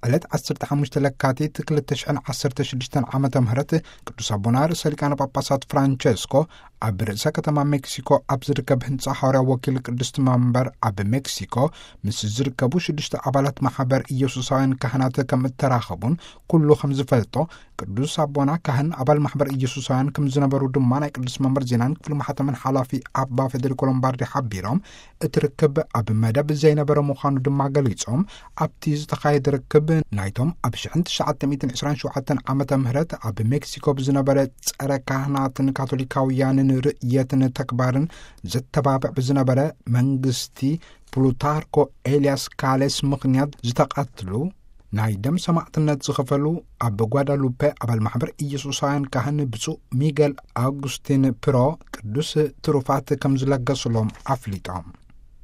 ዕለት ዓሰርተ ሓሙሽተ ለካቲት ክልተ ሽሕን ዓሰርተ ሽዱሽተን ዓመተ ምህረት ቅዱስ ኣቦና ርእሰ ሊቃነ ጳጳሳት ፍራንቸስኮ ኣብ ርእሰ ከተማ ሜክሲኮ ኣብ ዝርከብ ህንጻ ሐዋርያ ወኪል ቅድስቲ መንበር ኣብ ሜክሲኮ ምስ ዝርከቡ ሽዱሽተ ኣባላት ማሕበር ኢየሱሳውያን ካህናት ከም እተራኸቡን ኩሉ ከም ዝፈልጦ ቅዱስ ኣቦና ካህን ኣባል ማሕበር ኢየሱሳውያን ከም ዝነበሩ ድማ ናይ ቅዱስ መንበር ዜናን ክፍሊ ማሕተምን ሓላፊ ኣባ ፌዴሪኮ ሎምባርዲ ሓቢሮም እቲ ርክብ ኣብ መደብ ዘይነበረ ምዃኑ ድማ ገሊጾም ኣብቲ ዝተኻየደ ርክብ ናይቶም ኣብ ሽሕን ትሽዓተ ሚእትን ዕስራን ሸውዓተን ዓመተ ምህረት ኣብ ሜክሲኮ ብዝነበረ ጸረ ካህናትን ካቶሊካውያንን ርእየትን ተግባርን ዘተባብዕ ብዝነበረ መንግስቲ ፕሉታርኮ ኤልያስ ካሌስ ምኽንያት ዝተቐትሉ ናይ ደም ሰማዕትነት ዝኸፈሉ ኣብ ጓዳሉፔ ኣባል ማሕበር ኢየሱሳውያን ካህን ብፁዕ ሚገል ኣውጉስቲን ፕሮ ቅዱስ ትሩፋት ከም ዝለገሱሎም ኣፍሊጦም።